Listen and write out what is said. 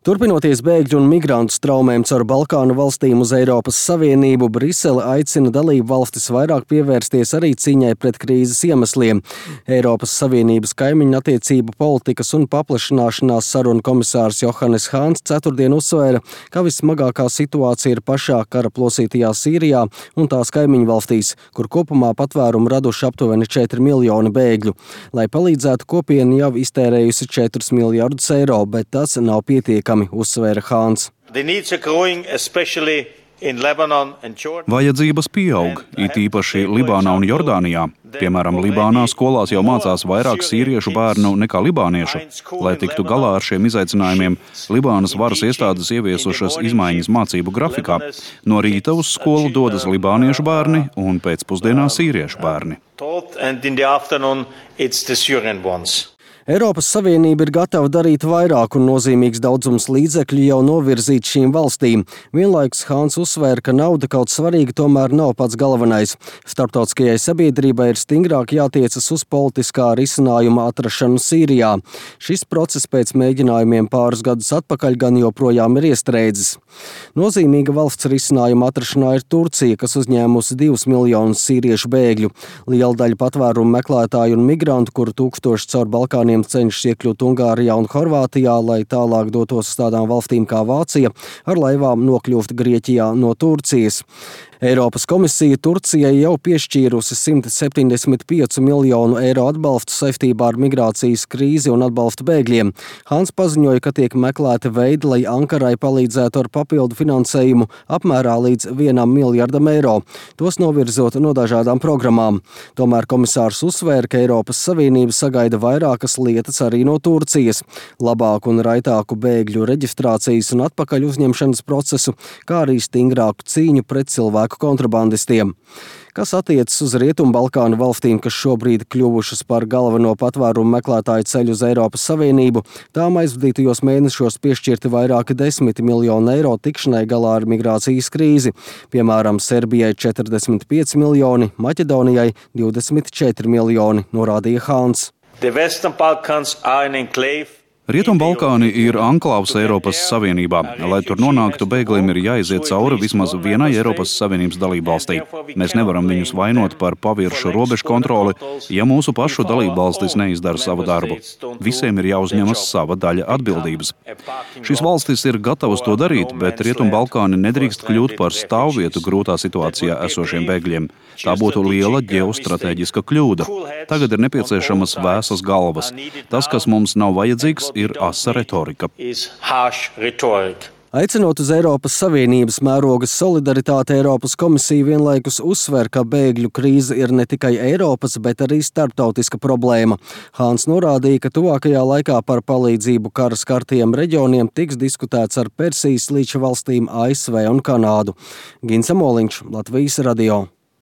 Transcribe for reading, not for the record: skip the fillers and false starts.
Turpinoties bēgļu un migrantu straumēm caur Balkānu valstīm uz Eiropas Savienību, Brisele aicina dalību valstis vairāk pievērsties arī cīņai pret krīzes iemesliem. Eiropas Savienības kaimiņu attiecību politikas un paplašināšanās sarunu komisārs Johannes Hāns ceturtdien uzsvēra, ka vissmagākā situācija ir pašā kara plosītajā Sīrijā un tās kaimiņu valstīs, kur kopumā patvērumu raduši aptuveni 4 miljoni bēgļu. Lai palīdzētu, kopiena jau iztērējusi 4 miljardus eiro, bet tas nav pietiekami, uzsvēra Hāns. Vajadzības pieaug, it īpaši Libānā un Jordānijā. Piemēram, Libānā skolās jau mācās vairāk sīriešu bērnu nekā libāniešu. Lai tiktu galā ar šiem izaicinājumiem, Libānas varas iestādes ieviesušas izmaiņas mācību grafikā. No rīta uz skolu dodas libāniešu bērni un pēcpusdienā sīriešu bērni. Eiropas Savienība ir gatava darīt vairāk un nozīmīgs daudzums līdzekļu jau novirzīt šīm valstīm. Vienlaikus Hāns uzsvēra, ka nauda kaut svarīga tomēr nav pats galvenais. Starptautiskajai sabiedrībai ir stingrāk jātiecas uz politiskā risinājuma atrašanu Sīrijā. Šis process pēc mēģinājumiem pāris gadus atpakaļ gan joprojām ir iestrēdzis. Nozīmīga valsts risinājuma atrašanā ir Turcija, kas uzņēmusi 2 miljonus sīriešu bēgļu. Liela daļa patvērumu meklētāju un migrantu, kuru tūkstoši caur Balkāniem cenšas iekļūt Ungārijā un Horvātijā, lai tālāk dotos uz tādām valstīm kā Vācija, ar laivām nokļūt Grieķijā no Turcijas. Eiropas komisija Turcijai jau piešķīrusi 175 miljonu eiro atbalstu saistībā ar migrācijas krīzi un atbalstu bēgļiem. Hāns paziņoja, ka tiek meklēti veidi, lai Ankarai palīdzētu ar papildu finansējumu apmērā līdz 1 miljardam eiro, tos novirzot no dažādām programmām. Tomēr komisārs uzsvēra, ka Eiropas Savienība sagaida vairākas lietas arī no Turcijas – labāku un raitāku bēgļu reģistrācijas un atpakaļ uzņemšanas procesu, kā arī stingrāku cīņu pret cilvēku kontrabandistiem. Kas attiecas uz Rietumbalkānu valstīm, kas šobrīd kļuvušas par galveno patvērumu meklētāju ceļu uz Eiropas Savienību, tām aizvadītajos mēnešos piešķirti vairāki 10 miljoni eiro tikšanai galā ar migrācijas krīzi. Piemēram, Serbijai 45 miljoni, Maķedonijai 24 miljoni, norādīja Hāns. Rietumbalkāni ir anklāvs Eiropas Savienībā. Lai tur nonāktu, bēgļiem ir jāiziet cauri vismaz vienai Eiropas Savienības dalībvalstī. Mēs nevaram viņus vainot par paviršu robežu kontroli, ja mūsu pašu dalībvalstis neizdara savu darbu. Visiem ir jāuzņemas sava daļa atbildības. Šīs valstis ir gatavas to darīt, bet Rietumbalkāni nedrīkst kļūt par stāvvietu grūtā situācijā esošiem bēgļiem. Tā būtu liela ģeostrateģiska kļūda. Tagad ir nepieciešamas vēsas galvas. Tas, kas mums nav vajadzīgs, ir asa retorika. Aicinot uz Eiropas Savienības mēroga solidaritāti, Eiropas komisija vienlaikus uzsver, ka bēgļu krīze ir ne tikai Eiropas, bet arī starptautiska problēma. Hāns norādīja, ka tuvākajā laikā par palīdzību kara skartajiem reģioniem tiks diskutēts ar Persijas līča valstīm ASV un Kanādu. Gins Amoliņš, Latvijas radio.